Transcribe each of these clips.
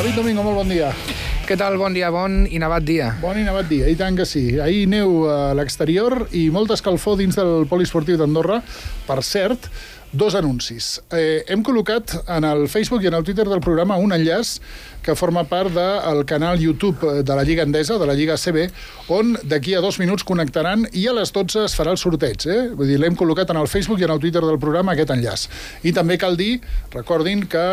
David Domingo, molt bon dia. Què tal? Bon dia, bon i nevat dia. Bon i nevat dia, i tant que sí. Ahir neu a l'exterior i molta escalfor dins del poliesportiu d'Andorra. Per cert, dos anuncis. Hem col·locat en el Facebook i en el Twitter del programa un enllaç que forma part del canal YouTube de la Lliga Endesa, de la Lliga ACB, on d'aquí a 2 minuts connectaran i a les 12 es farà el sorteig. Vull dir, l'hem col·locat en el Facebook i en el Twitter del programa aquest enllaç. I també cal dir, recordin, que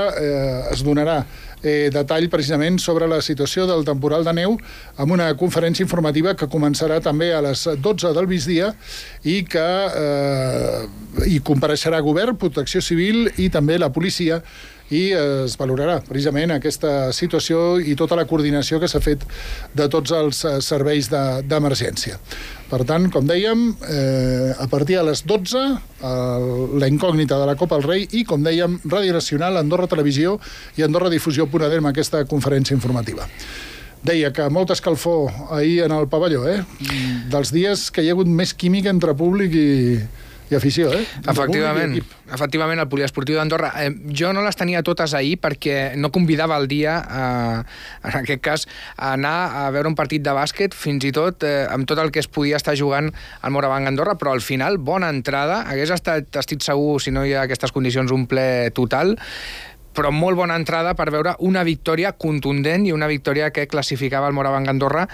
es donarà detall precisament sobre la situació del temporal de neu amb una conferència informativa que començarà també a les 12 del migdia i que hi compareixerà govern, protecció civil i també la policia, i es valorarà precisament aquesta situació i tota la coordinació que s'ha fet de tots els serveis d'emergència. Per tant, com dèiem, a partir de les 12, la incògnita de la Copa del Rei i, com dèiem, Ràdio Nacional, Andorra Televisió i Andorra Difusió.d amb aquesta conferència informativa. Deia que molta escalfor ahir en el pavelló, dels dies que hi ha hagut més química entre públic i afició, Efectivament, el poliesportiu d'Andorra. Jo no les tenia totes ahir perquè no convidava el dia, en aquest cas, a anar a veure un partit de bàsquet, fins i tot amb tot el que es podia estar jugant al Morabanc Andorra, però al final, bona entrada. Hagués estat, estic segur, si no hi ha aquestes condicions, un ple total, però molt bona entrada per veure una victòria contundent i una victòria que classificava el Morabanc Andorra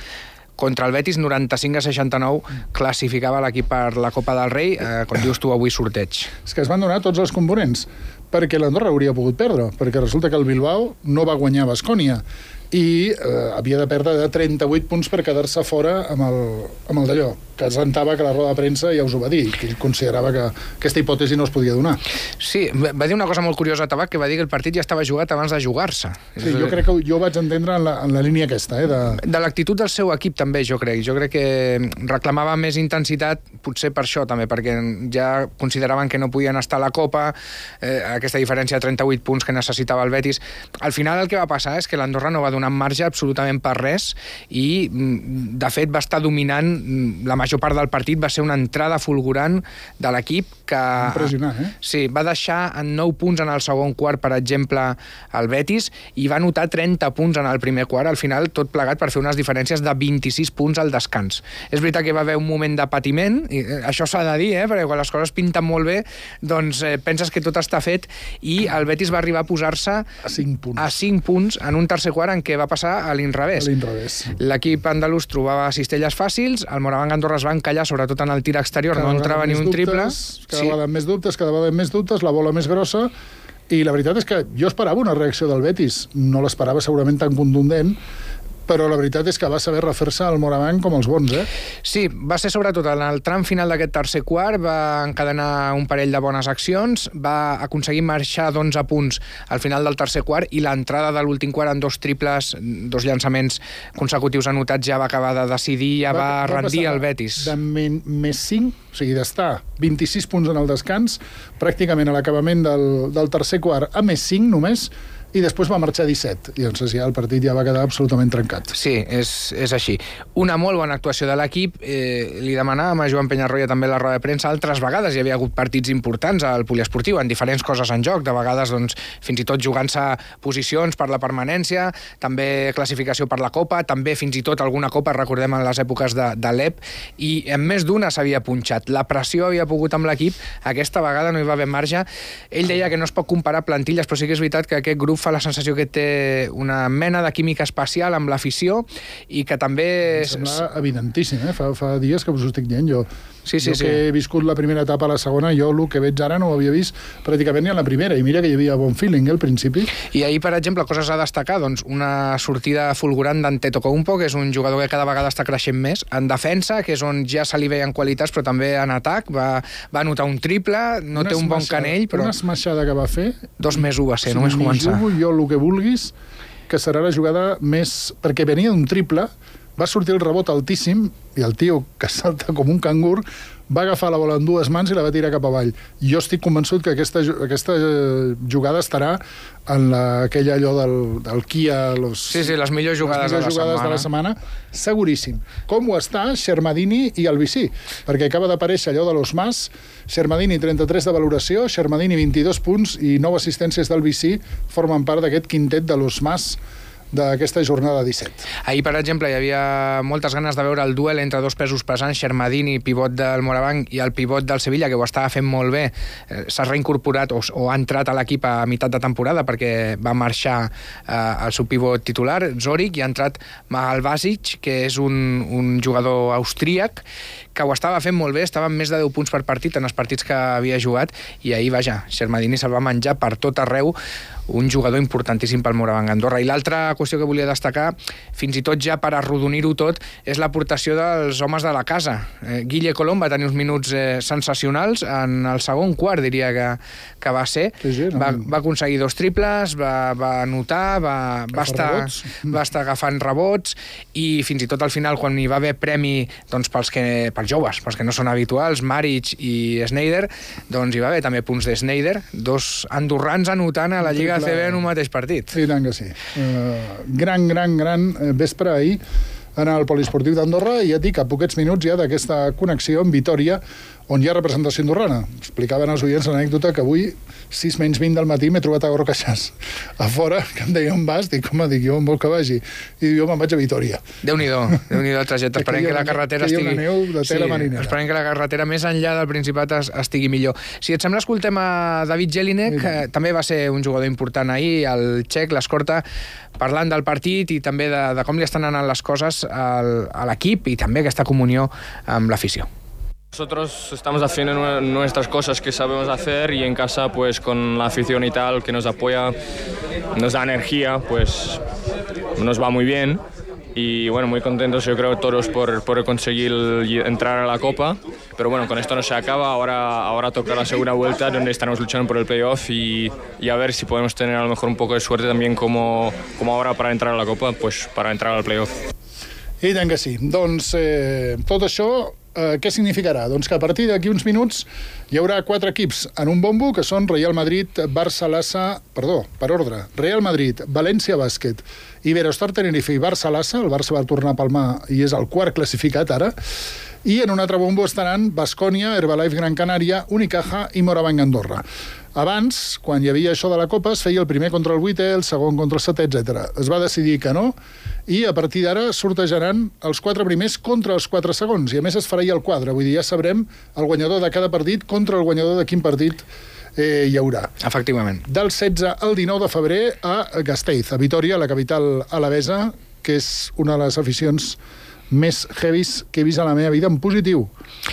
contra el Betis, 95-69, classificava l'equip per la Copa del Rei, com dius tu, avui sorteig. És que es van donar tots els components, perquè l'Andorra hauria pogut perdre, perquè resulta que el Bilbao no va guanyar Baskonia i havia de perdre de 38 punts per quedar-se fora amb el d'allò, que es rentava que la roda de premsa ja us ho va dir, que ell considerava que aquesta hipòtesi no es podia donar. Sí, va dir una cosa molt curiosa, Tabac, que va dir que el partit ja estava jugat abans de jugar-se. Sí, jo crec que jo ho vaig entendre en la línia aquesta. De l'actitud del seu equip també, jo crec. Jo crec que reclamava més intensitat, potser per això també, perquè ja consideraven que no podien estar a la Copa, aquesta diferència de 38 punts que necessitava el Betis. Al final el que va passar és que l'Andorra no va donar marge absolutament per res i, de fet, va estar dominant la major part del partit. Va ser una entrada fulgurant de l'equip que... Impressionant, Sí, va deixar en 9 punts en el segon quart, per exemple, el Betis, i va anotar 30 punts en el primer quart, al final tot plegat per fer unes diferències de 26 punts al descans. És veritat que va haver un moment de patiment, i això s'ha de dir, perquè quan les coses pinten molt bé, doncs penses que tot està fet, i el Betis va arribar a posar-se a 5 punts en un tercer quart en què va passar a l'inrevés. L'equip andalús trobava cistelles fàcils, el Morabanc Andorra es va encallar, sobretot en el tir exterior, no entrava ni un triple. Cada vegada més dubtes, la bola més grossa, i la veritat és que jo esperava una reacció del Betis, no l'esperava segurament tan contundent, però la veritat és que va saber refer-se al Morabanc com els bons, Sí, va ser sobretot en el tram final d'aquest tercer quart, va encadenar un parell de bones accions, va aconseguir marxar d'11 punts al final del tercer quart, i l'entrada de l'últim quart en 2 triples, 2 llançaments consecutius anotats, ja va acabar de decidir, ja va rendir el Betis. De més 5, o sigui, d'estar 26 punts en el descans, pràcticament a l'acabament del tercer quart, a més 5 només, i després va marxar 17, i doncs ja el partit ja va quedar absolutament trencat. Sí, és així. Una molt bona actuació de l'equip. Li demanàvem a Joan Penyarroia també la roda de premsa. Altres vegades hi havia hagut partits importants al poliesportiu, en diferents coses en joc, de vegades doncs, fins i tot jugant-se posicions per la permanència, també classificació per la Copa, també fins i tot alguna Copa, recordem en les èpoques de l'EP, i en més d'una s'havia punxat. La pressió havia pogut amb l'equip, aquesta vegada no hi va haver marge. Ell deia que no es pot comparar plantilles, però sí que és veritat que aquest grup fa la sensació que té una mena de química especial amb l'afició i que també... Em sembla evidentíssim, fa dies que us ho estic dient jo. Sí. Que he viscut la primera etapa a la segona, jo el que veig ara no ho havia vist pràcticament ni a la primera, i mira que hi havia bon feeling al principi. I ahir, per exemple, coses a destacar, doncs una sortida fulgurant d'Antetokounmpo, que és un jugador que cada vegada està creixent més, en defensa, que és on ja se li veien qualitats, però també en atac, va anotar un triple, no té un bon canell, però... Una esmaixada que va fer... 2+1 va ser, només començar. Jo el que vulguis, que serà la jugada més... Perquè venia d'un triple, va sortir el rebot altíssim, i el tio, que salta com un cangur, va agafar la bola en 2 mans i la va tirar cap avall. Jo estic convençut que aquesta jugada estarà en aquella allò del Kia... Sí, les millors jugades de la setmana. Seguríssim. Com ho està Shermadini i el Vicí? Perquè acaba d'aparèixer allò de los Mas, Shermadini 33 de valoració, Shermadini 22 punts i 9 assistències del Vicí formen part d'aquest quintet de los Mas d'aquesta jornada 17. Ahir, per exemple, hi havia moltes ganes de veure el duel entre dos pesos pesants, Shermadini, pivot del Morabanc, i el pivot del Sevilla, que ho estava fent molt bé. S'ha reincorporat o ha entrat a l'equip a meitat de temporada perquè va marxar el seu pivot titular, Zorik, i ha entrat Magal Basic, que és un jugador austríac, que ho estava fent molt bé, estava amb més de 10 punts per partit en els partits que havia jugat, i ahir, vaja, Shermadini se'l va menjar per tot arreu, un jugador importantíssim pel Morabanc Andorra. I l'altra qüestió que volia destacar, fins i tot ja per arrodonir-ho tot, és l'aportació dels homes de la casa. Guille Colom va tenir uns minuts sensacionals en el segon quart, diria que va ser. Sí, va aconseguir 2 triples, va anotar, va estar agafant rebots, i fins i tot al final, quan hi va haver premi doncs, pels joves, pels que no són habituals, Maric i Sneijder, doncs hi va haver també punts de Sneijder, 2 andorrans anotant a la Lliga ACB en un mateix partit. I tant que sí. Gran vespre ahir en el Poliesportiu d'Andorra, i ja et dic, a poquets minuts ja d'aquesta connexió amb Vitòria, on hi ha representació andorrana. Explicaven als oients l'anècdota que avui, 6 menys 20 del matí, m'he trobat a Gorka Xas a fora, que em deia on vas, dic, home, jo on vol que vagi? I jo me'n vaig a Vitòria. Déu-n'hi-do el trajecte. Esperem que la carretera estigui... Esperem que la carretera més enllà del Principat estigui millor. Si et sembla, escoltem a David Jelinek, també va ser un jugador important ahir, el txec, l'escorta, parlant del partit i també de com li estan anant les coses a l'equip i també aquesta comunió amb l'afició. Nosotros estamos haciendo nuestras cosas que sabemos hacer, y en casa, pues con la afición y tal que nos apoya, nos da energía, pues nos va muy bien. Y bueno, muy contentos yo creo todos por conseguir entrar a la Copa, pero bueno, con esto no se acaba. Ahora toca la segunda vuelta, donde estaremos luchando por el playoff, y a ver si podemos tener a lo mejor un poco de suerte también como ahora para entrar a la Copa, pues para entrar al playoff. I tant que sí. Doncs tot això què significarà? Doncs que a partir d'aquí uns minuts hi haurà 4 equips en un bombo, que són Real Madrid, Barça-Lassa... Perdó, per ordre. Real Madrid, València Bàsquet, Iberostar Tenerife i Barça-Lassa. El Barça va tornar a palmar i és el 4 classificat ara. I en un altre bombo estaran Baskonia, Herbalife Gran Canària, Unicaja i Morabanc Andorra. Abans, quan hi havia això de la Copa, es feia el primer contra el 8è, el segon contra el 7è, etc. Es va decidir que no, i a partir d'ara sortejaran els 4 primers contra els 4 segons, i a més es farà el quadre, vull dir, ja sabrem el guanyador de cada partit contra el guanyador de quin partit hi haurà. Efectivament. Del 16 al 19 de febrer a Gasteiz, a Vitòria, la capital alavesa, que és una de les aficions més heavies que he vist a la meva vida, en positiu.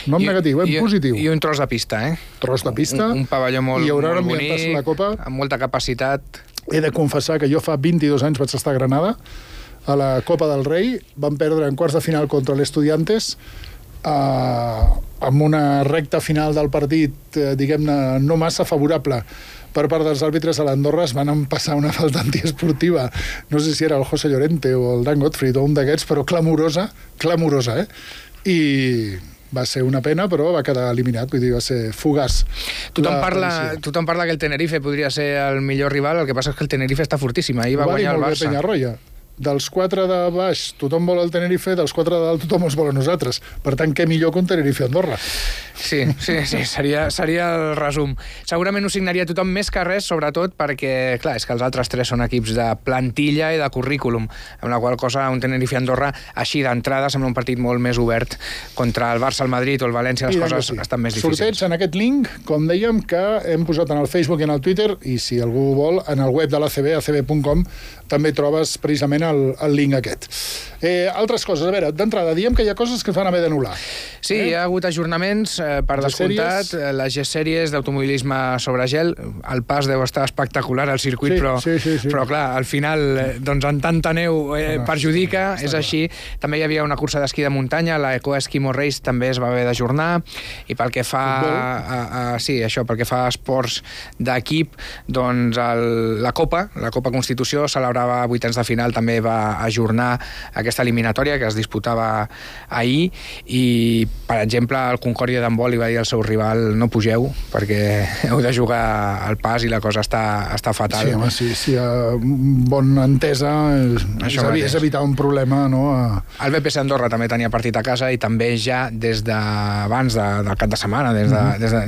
No en negatiu, en positiu. I un tros de pista, Tros de pista. Un pavelló molt bonic, la Copa, amb molta capacitat. He de confessar que jo fa 22 anys vaig estar a Granada, a la Copa del Rei. Vam perdre en quarts de final contra l'Estudiantes, amb una recta final del partit, diguem-ne, no massa favorable per part dels àrbitres. A l'Andorra es van empassar una falta antiesportiva, no sé si era el José Llorente o el Dan Gottfried o un d'aquests, però clamorosa, i va ser una pena, però va quedar eliminat, vull dir, va ser fugaç. Tothom parla que el Tenerife podria ser el millor rival, el que passa és que el Tenerife està fortíssim, ahir va guanyar el Barça. Peñarroya. Dels 4 de baix tothom vol el Tenerife, dels 4 de dalt tothom els vol a nosaltres. Per tant, què millor que un Tenerife-Andorra? Sí, seria el resum. Segurament ho signaria tothom, més que res, sobretot perquè, clar, és que els altres 3 són equips de plantilla i de currículum, amb la qual cosa un Tenerife-Andorra així d'entrada sembla un partit molt més obert. Contra el Barça, el Madrid o el València les coses estan més difícils. Sorteig en aquest link, com dèiem, que hem posat en el Facebook i en el Twitter, i si algú vol, en el web de l'ACB, acb.com, també trobes precisament el link aquest. Altres coses, a veure, d'entrada, diem que hi ha coses que es van haver d'anul·lar. Sí, hi ha hagut ajornaments, per descomptat, les G-sèries d'automobilisme sobre gel. El pas deu estar espectacular al circuit, però clar, al final, doncs en tanta neu perjudica, és així. També hi havia una cursa d'esquí de muntanya, la Eco Eskimo Race també es va haver d'ajornar, i pel que fa pel que fa a esports d'equip, doncs la Copa Constitució celebrava vuitens de final, també va ajornar aquesta eliminatòria que es disputava ahir, i per exemple el Concòrdia d'en vol i va dir al seu rival no pugeu perquè heu de jugar al pas i la cosa està fatal. Sí, home, si hi ha bona entesa és evitar un problema, no? El BPC Andorra també tenia partit a casa i també ja des d'abans del cap de setmana,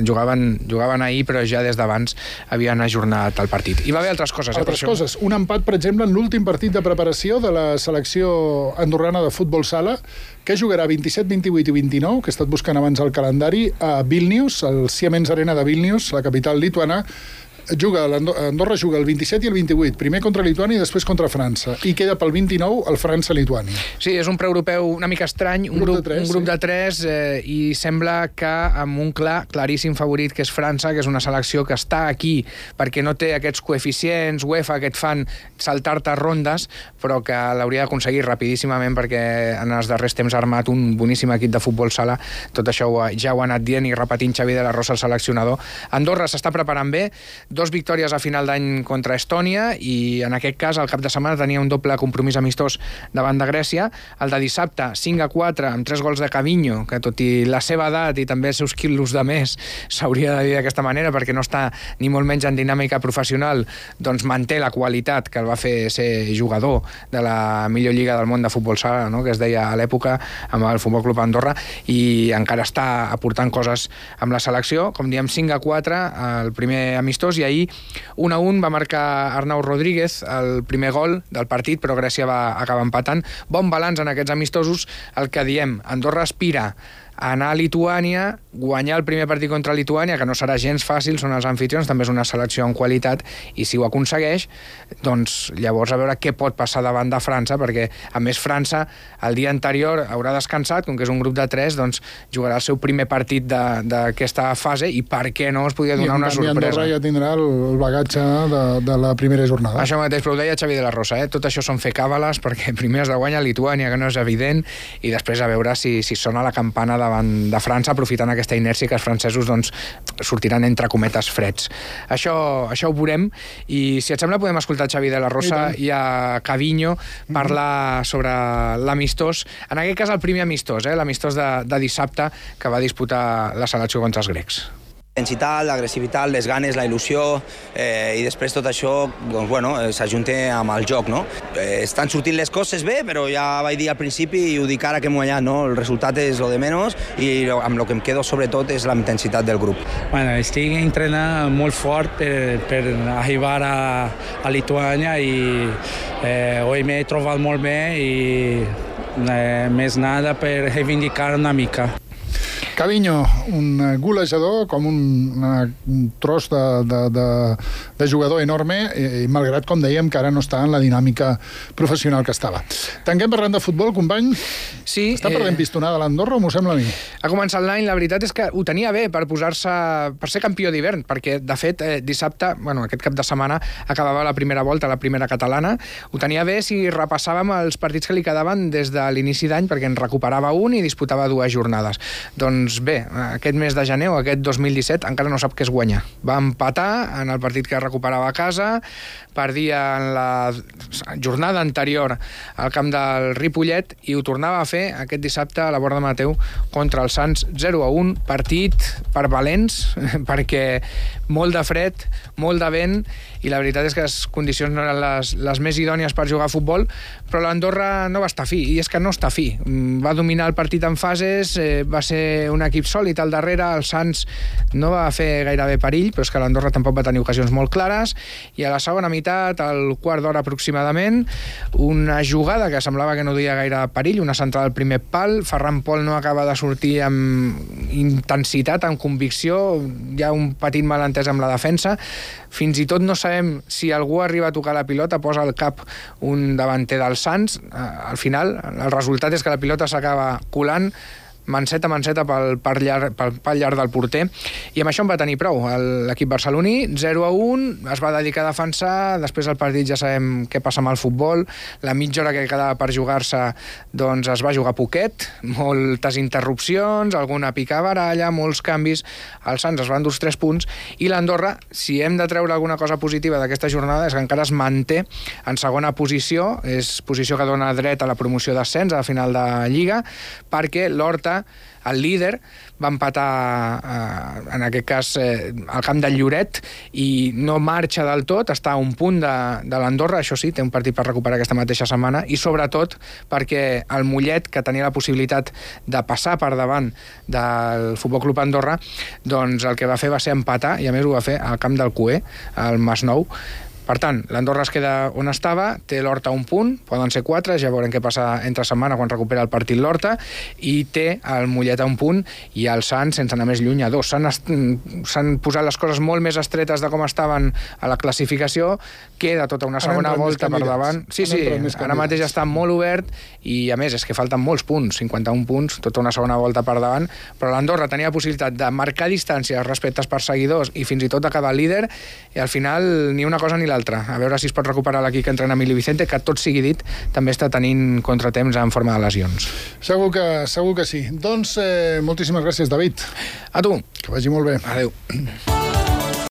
jugaven ahir, però ja des d'abans havien ajornat el partit. I va haver altres coses. Altres coses. Un empat, per exemple, en l'últim partit de preparació de la selecció andorrana de futbol sala, que jugarà 27, 28 i 29, que he estat buscant abans el calendari, a Vilnius, al Siemens Arena de Vilnius, la capital lituana. Andorra juga el 27 i el 28, primer contra Lituània i després contra França, i queda pel 29 el França-Lituània. Sí, és un preeuropeu una mica estrany, un grup de tres, i sembla que amb un claríssim favorit, que és França, que és una selecció que està aquí perquè no té aquests coeficients UEFA que et fan saltar-te rondes, però que l'hauria d'aconseguir rapidíssimament perquè en els darrers temps ha armat un boníssim equip de futbol sala. Tot això ja ho ha anat dient i repetint Xavi de la Rosa, el seleccionador. Andorra s'està preparant bé, 2 victòries a final d'any contra Estònia i en aquest cas el cap de setmana tenia un doble compromís amistós davant de Grècia, el de dissabte 5-4 amb 3 gols de Cavinho, que tot i la seva edat i també els seus quilos de més s'hauria de dir d'aquesta manera perquè no està ni molt menys en dinàmica professional, doncs manté la qualitat que el va fer ser jugador de la millor lliga del món de futbol sala, no? Que es deia a l'època amb el Futbol Club Andorra, i encara està aportant coses amb la selecció. Com diem, 5-4 el primer amistós, i ahir 1-1 va marcar Arnau Rodríguez el primer gol del partit, però Grècia va acabar empatant. Bon balanç en aquests amistosos. El que diem, Andorra aspira a anar a Lituània, guanyar el primer partit contra Lituània, que no serà gens fàcil, són els anfitrions, també és una selecció en qualitat, i si ho aconsegueix, doncs llavors a veure què pot passar davant de França, perquè a més França el dia anterior haurà descansat, com que és un grup de 3, doncs jugarà el seu primer partit d'aquesta fase, i per què no es podria donar una sorpresa. I Andorra ja tindrà el bagatge de la primera jornada. Això mateix, però ho deia Xavi de la Rosa, tot això són fer càbales, perquè primer has de guanyar Lituània, que no és evident, i després a veure si sona la campana davant de França, aprofitant aquesta inèrcia que els francesos doncs, sortiran entre cometes freds. Això ho veurem, i si et sembla podem escoltar Xavi de la Rosa i a Cavinho parlar sobre l'amistós, en aquest cas el primer amistós, l'amistós de dissabte que va disputar la selecció contra els grecs. Intensitat, l'agressivitat, les ganes, la il·lusió, i després tot això doncs, bueno, s'ajunta amb el joc. No? Estan sortint les coses bé, però ja vaig dir al principi i ho dic ara que hem guanyat, no? El resultat és lo de menys i amb el que em quedo sobretot és la intensitat del grup. Bueno, estic entrenant molt fort per arribar a Lituània i avui m'he trobat molt bé i més nada per reivindicar una mica. Cavinho, un golejador, com un tros de jugador enorme, i malgrat, com dèiem, que ara no està en la dinàmica professional que estava. Tanquem parlant de futbol, company? Sí. Està perdent pistonada l'Andorra, o m'ho sembla a mi? Ha començat l'any, la veritat és que ho tenia bé per ser campió d'hivern, perquè, de fet, dissabte, aquest cap de setmana, acabava la primera volta, la primera catalana. Ho tenia bé si repassàvem els partits que li quedaven des de l'inici d'any, perquè en recuperava un i disputava 2 jornades. Doncs bé, aquest mes de gener o aquest 2017 encara no sap què és guanyar. Va empatar en el partit que recuperava a casa, perdia en la jornada anterior al camp del Ripollet i ho tornava a fer aquest dissabte a la Borda Mateu contra el Sants 0-1, partit per valents, perquè molt de fred, molt de vent, i la veritat és que les condicions no eren les més idònies per jugar a futbol, però l'Andorra no va estar fi, i és que no està fi. Va dominar el partit en fases, va ser un equip sòlid al darrere, el Sants no va fer gairebé perill, però és que l'Andorra tampoc va tenir ocasions molt clares, i a la segona meitat, al quart d'hora aproximadament, una jugada que semblava que no duia gaire perill, una centrada al primer pal, Ferran Pol no acaba de sortir amb intensitat, amb convicció, hi ha un petit malentès amb la defensa, fins i tot no sabem si algú arriba a tocar la pilota, posa al cap un davanter del Sants, al final el resultat és que la pilota s'acaba colant manceta pel pal llarg del porter, i amb això en va tenir prou l'equip barceloní. 0-1, es va dedicar a defensar, després del partit ja sabem què passa amb el futbol, la mitja hora que quedava per jugar-se doncs es va jugar poquet, moltes interrupcions, alguna picabaralla, molts canvis, els Sants es van dur 3 punts, i l'Andorra, si hem de treure alguna cosa positiva d'aquesta jornada, és que encara es manté en segona posició, és posició que dona dret a la promoció d'ascens a la final de Lliga, perquè l'Horta Andorra, el líder, va empatar, en aquest cas, al camp del Lloret, i no marxa del tot, està a un punt de l'Andorra, això sí, té un partit per recuperar aquesta mateixa setmana, i sobretot perquè el Mollet, que tenia la possibilitat de passar per davant del Futbol Club Andorra, doncs el que va fer va ser empatar, i a més ho va fer al camp del Cué, al Masnou. Per tant, l'Andorra es queda on estava, té l'Horta un punt, poden ser 4, ja veurem què passa entre setmana quan recupera el partit l'Horta, i té el Mollet a un punt i el Sant, sense anar més lluny, a 2. S'han posat les coses molt més estretes de com estaven a la classificació, queda tota una segona volta per davant. Sí, ara mateix està molt obert i, a més, és que falten molts punts, 51 punts, tota una segona volta per davant, però l'Andorra tenia la possibilitat de marcar distàncies respecte als perseguidors i fins i tot acabar líder, i al final ni una cosa ni l'altra. A veure si es pot recuperar l'equip que entrena Emili Vicente, que tot sigui dit, també està tenint contratemps en forma de lesions. Segur que sí. Doncs moltíssimes gràcies, David. A tu. Que vagi molt bé. Adéu.